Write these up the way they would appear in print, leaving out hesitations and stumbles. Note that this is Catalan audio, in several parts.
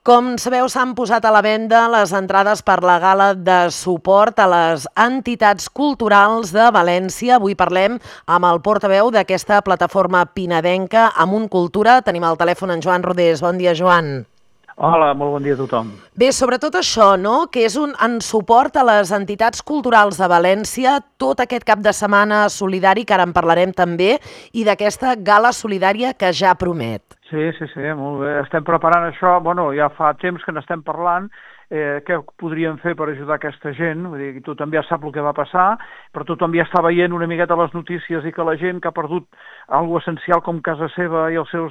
Com sabeu, s'han posat a la venda les entrades per la gala de suport a les entitats culturals de València. Avui parlem amb el portaveu d'aquesta plataforma pinedenca, Amunt Cultura. Tenim al telèfon en Joan Rodés. Bon dia, Joan. Hola, molt bon dia a tothom. Bé, sobretot això, no?, que és en suport a les entitats culturals de València, tot aquest cap de setmana solidari, que ara en parlarem també, i d'aquesta gala solidària que ja promet. Sí, molt bé. Estem preparant això, ja fa temps que n'estem parlant, què podríem fer per ajudar aquesta gent, vull dir, tothom ja sap el que va passar, però tothom ja està veient una miqueta les notícies i que la gent que ha perdut alguna essencial com casa seva i els seus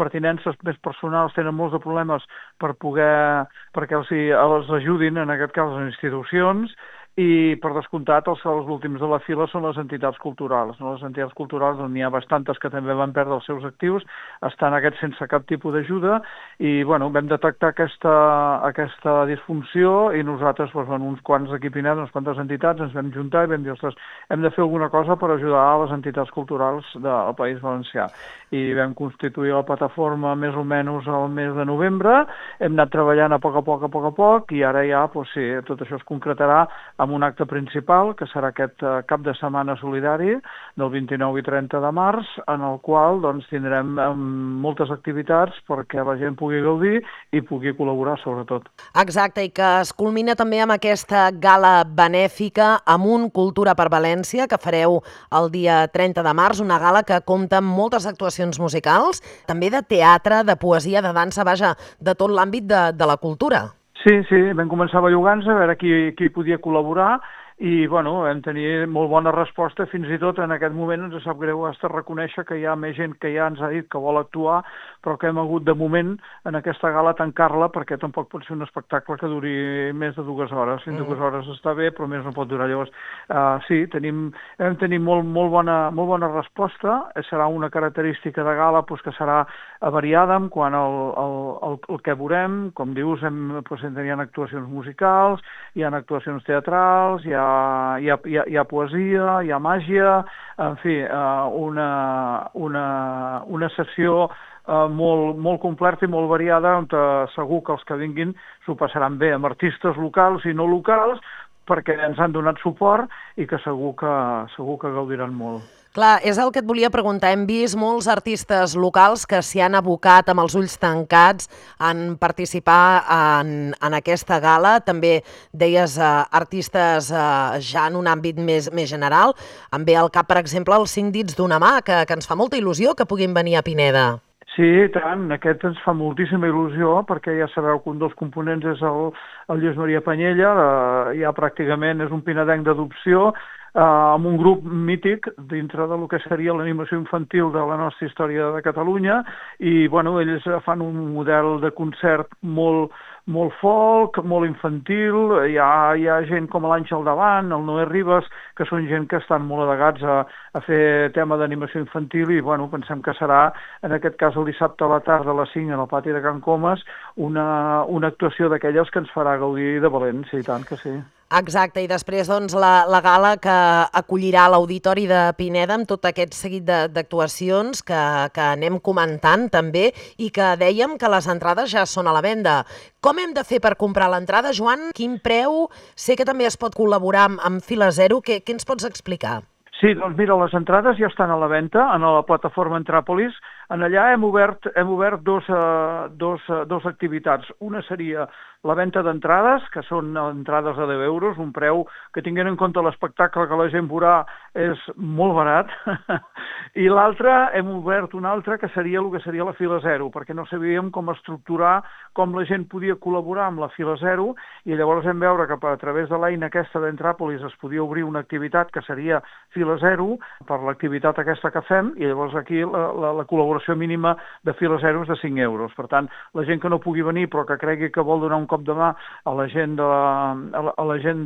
pertinences més personals tenen molts de problemes perquè els ajudin, en aquest cas les institucions, i per descomptat els últims de la fila són les entitats culturals. No? Les entitats culturals, on n'hi ha bastantes que també van perdre els seus actius, estan aquests sense cap tipus d'ajuda i vam detectar aquesta disfunció i nosaltres, uns quants aquí a Pinet, unes quantes entitats, ens vam juntar i vam dir, ostres, hem de fer alguna cosa per ajudar a les entitats culturals del País Valencià. I vam constituir la plataforma més o menys al mes de novembre, hem anat treballant a poc a poc, i ara ja, tot això es concretarà amb un acte principal, que serà aquest cap de setmana solidari del 29 i 30 de març, en el qual tindrem moltes activitats perquè la gent pugui gaudir i pugui col·laborar, sobretot. Exacte, i que es culmina també amb aquesta gala benèfica Amunt Cultura per València, que fareu el dia 30 de març, una gala que compta amb moltes actuacions musicals, també de teatre, de poesia, de dansa, vaja, de tot l'àmbit de la cultura. Sí, vam començar bellugant-nos a veure qui podia col·laborar i vam tenir molt bona resposta, fins i tot en aquest moment ens sap greu hasta reconèixer que hi ha més gent que ja ens ha dit que vol actuar, però que hem hagut de moment en aquesta gala tancar-la perquè tampoc pot ser un espectacle que duri més de 2 hores. Fins 2 hores està bé, però més no pot durar. Llavors, sí, hem tenir molt bona resposta. Serà una característica de gala que serà variada en quant al que veurem. Com dius, hi ha actuacions musicals, hi ha actuacions teatrals, hi ha poesia, hi ha màgia, en fi, una sessió molt completa i molt variada, on segur que els que vinguin s'ho passaran bé, amb artistes locals i no locals, perquè ens han donat suport i que segur que gaudiran molt. Clar, és el que et volia preguntar. Hem vist molts artistes locals que s'hi han abocat amb els ulls tancats en participar en aquesta gala. També deies artistes ja en un àmbit més general. Em ve al cap, per exemple, els 5 dits d'una mà, que ens fa molta il·lusió que puguin venir a Pineda. Sí, tant, aquest ens fa moltíssima il·lusió, perquè ja sabeu que un dels components és el Lluís Maria Panyella, ja pràcticament és un pinedenc d'adopció, amb un grup mític dintre del que seria l'animació infantil de la nostra història de Catalunya, i ells fan un model de concert molt folk, molt infantil, hi ha gent com l'Àngel Davant, el Noé Ribas, que són gent que estan molt adegats a fer tema d'animació infantil i pensem que serà, en aquest cas el dissabte a la tarda a les 5 en el pati de Can Comas, una actuació d'aquelles que ens farà gaudir de València, i tant que sí. Exacte, i després la gala que acollirà l'Auditori de Pineda amb tot aquest seguit d'actuacions que anem comentant també i que dèiem que les entrades ja són a la venda. Com hem de fer per comprar l'entrada, Joan? Quin preu? Sé que també es pot col·laborar amb Fila Zero. Què ens pots explicar? Sí, doncs mira, les entrades ja estan a la venda en la plataforma Entràpolis. En allà hem obert dos activitats. Una seria la venda d'entrades, que són entrades a 10 euros, un preu que tinguent en compte l'espectacle que la gent veurà és molt barat. I l'altra, hem obert una altra, que seria el que seria la Fila Zero, perquè no sabíem com estructurar, com la gent podia col·laborar amb la Fila Zero, i llavors vam veure que a través de l'eina aquesta d'Entràpolis es podia obrir una activitat que seria Fila Zero, per l'activitat aquesta que fem, i llavors aquí la col·laboració mínima de Fila Zero és de 5 euros. Per tant, la gent que no pugui venir però que cregui que vol donar un cop de mà a la gent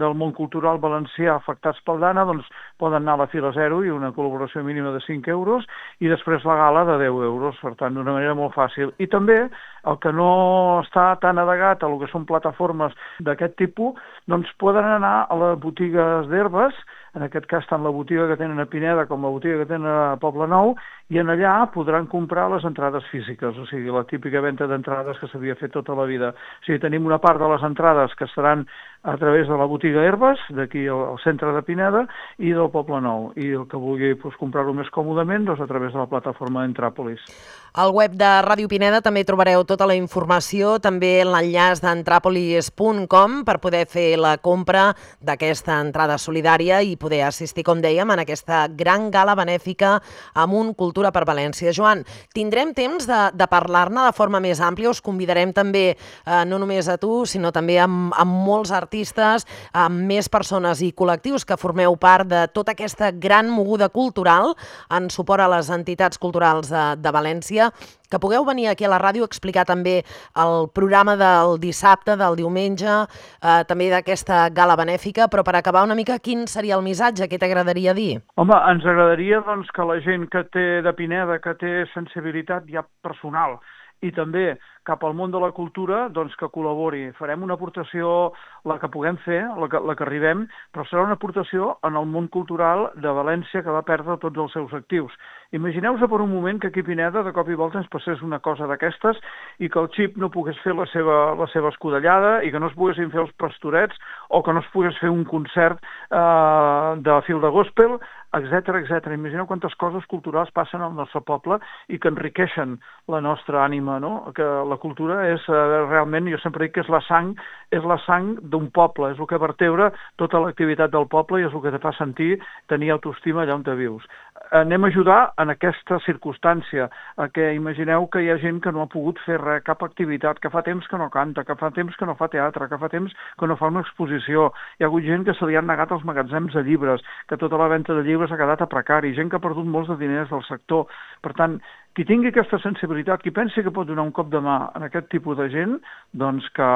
del món cultural valencià afectats pel Dana, doncs poden anar a la Fila Zero i una col·laboració mínima de 5 euros i després la gala de 10 euros, per tant, d'una manera molt fàcil. I també el que no està tan adegat a el que són plataformes d'aquest tipus, doncs poden anar a les botigues d'herbes en aquest cas tant la botiga que tenen a Pineda com la botiga que tenen a Poblenou, i en allà podran comprar les entrades físiques, o sigui, la típica venda d'entrades que s'havia fet tota la vida. O sigui, tenim una part de les entrades que seran a través de la botiga Herbes, d'aquí al centre de Pineda, i del Poblenou. I el que vulgui comprar-ho més còmodament, doncs a través de la plataforma d'Entràpolis. Al web de Ràdio Pineda també trobareu tota la informació, també l'enllaç d'entrapolis.com per poder fer la compra d'aquesta entrada solidària i poder assistir, com dèiem, en aquesta gran gala benèfica Amunt Cultura per València. Joan, tindrem temps de parlar-ne de forma més àmplia. Us convidarem també, no només a tu, sinó també amb molts artistes, amb més persones i col·lectius que formeu part de tota aquesta gran moguda cultural en suport a les entitats culturals de València, que pugueu venir aquí a la ràdio a explicar també el programa del dissabte, del diumenge, també d'aquesta gala benèfica, però per acabar una mica, quin seria el missatge? Què t'agradaria dir? Home, ens agradaria doncs, que la gent que té de Pineda, que té sensibilitat ja personal, i també cap al món de la cultura, doncs que col·labori. Farem una aportació, la que puguem fer, la que arribem, però serà una aportació en el món cultural de València que va perdre tots els seus actius. Imagineu-vos per un moment que aquí a Pineda de cop i volta ens passés una cosa d'aquestes i que el Xip no pogués fer la seva escudellada i que no es poguessin fer els pastorets o que no es pogués fer un concert de fil de gospel, etc. Imagineu quantes coses culturals passen al nostre poble i que enriqueixen la nostra ànima, no? Que la cultura és realment, jo sempre dic que és la sang d'un poble, és el que vertebra tota l'activitat del poble i és el que te fa sentir, tenir autoestima allà on te vius. Anem a ajudar en aquesta circumstància, que imagineu que hi ha gent que no ha pogut fer res, cap activitat, que fa temps que no canta, que fa temps que no fa teatre, que fa temps que no fa una exposició. Hi ha hagut gent que se li han negat els magatzems de llibres, que tota la venda de llibres ha quedat a precari, gent que ha perdut molts de diners del sector. Per tant, qui tingui aquesta sensibilitat, qui pensi que pot donar un cop de mà en aquest tipus de gent, doncs que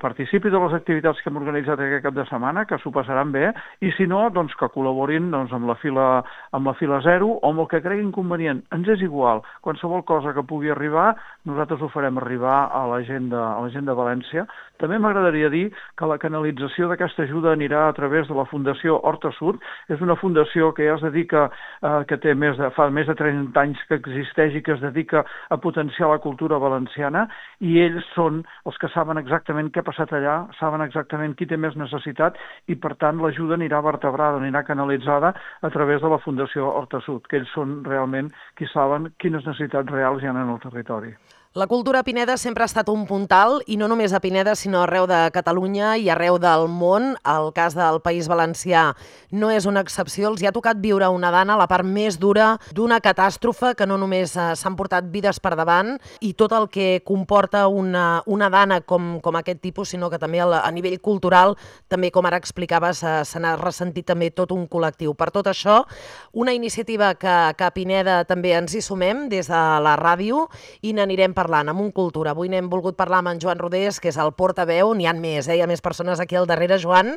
participi de les activitats que hem organitzat aquest cap de setmana, que s'ho passaran bé, i si no, doncs que col·laborin amb la fila 0 o amb el que creguin convenient. Ens és igual, qualsevol cosa que pugui arribar, nosaltres ho farem arribar a la gent de València. També m'agradaria dir que la canalització d'aquesta ajuda anirà a través de la Fundació Horta Sud. És una fundació que ja es dedica, que fa més de 30 anys que existeix i que es dedica a potenciar la cultura valenciana, i ells són els que saben exactament què ha passat allà, saben exactament qui té més necessitat i, per tant, l'ajuda anirà vertebrada, anirà canalitzada a través de la Fundació Horta Sud, que ells són realment qui saben quines necessitats reals hi ha en el territori. La cultura a Pineda sempre ha estat un puntal, i no només a Pineda, sinó arreu de Catalunya i arreu del món. El cas del País Valencià no és una excepció. Els hi ha tocat viure una dana, la part més dura d'una catàstrofe, que no només s'han portat vides per davant i tot el que comporta una dana com aquest tipus, sinó que també a nivell cultural, també com ara explicaves, se n'ha ressentit també tot un col·lectiu. Per tot això, una iniciativa que a Pineda també ens hi sumem des de la ràdio i n'anirem parlant amb Cultura. Avui n'hem volgut parlar amb en Joan Rodés, que és el portaveu. N'hi ha més, hi ha més persones aquí al darrere, Joan,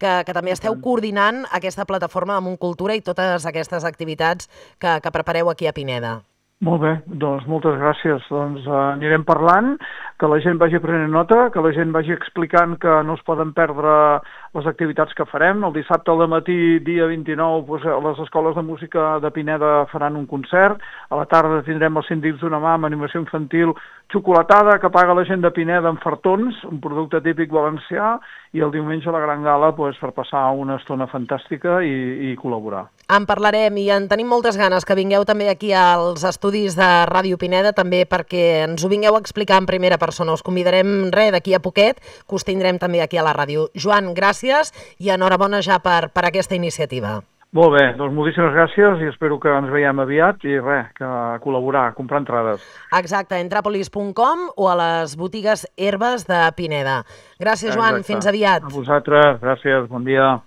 que també esteu coordinant aquesta plataforma amb Cultura i totes aquestes activitats que prepareu aquí a Pineda. Molt bé, doncs moltes gràcies. Doncs anirem parlant, que la gent vagi prenent nota, que la gent vagi explicant que no es poden perdre les activitats que farem. El dissabte al matí, dia 29, les escoles de música de Pineda faran un concert. A la tarda tindrem els síndics d'una mà amb animació infantil, xocolatada que paga la gent de Pineda amb fartons, un producte típic valencià, i el diumenge a la gran gala per passar una estona fantàstica i col·laborar. En parlarem i en tenim moltes ganes que vingueu també aquí als estudis de Ràdio Pineda, també perquè ens ho vingueu a explicar en primera persona. Us convidarem d'aquí a poquet, que us tindrem també aquí a la ràdio. Joan, gràcies i enhorabona ja per aquesta iniciativa. Molt bé, doncs moltíssimes gràcies i espero que ens veiem aviat i que col·laborar, comprar entrades. Exacte, entrapolis.com o a les botigues Herbes de Pineda. Gràcies, Joan, fins aviat. A vosaltres, gràcies, bon dia.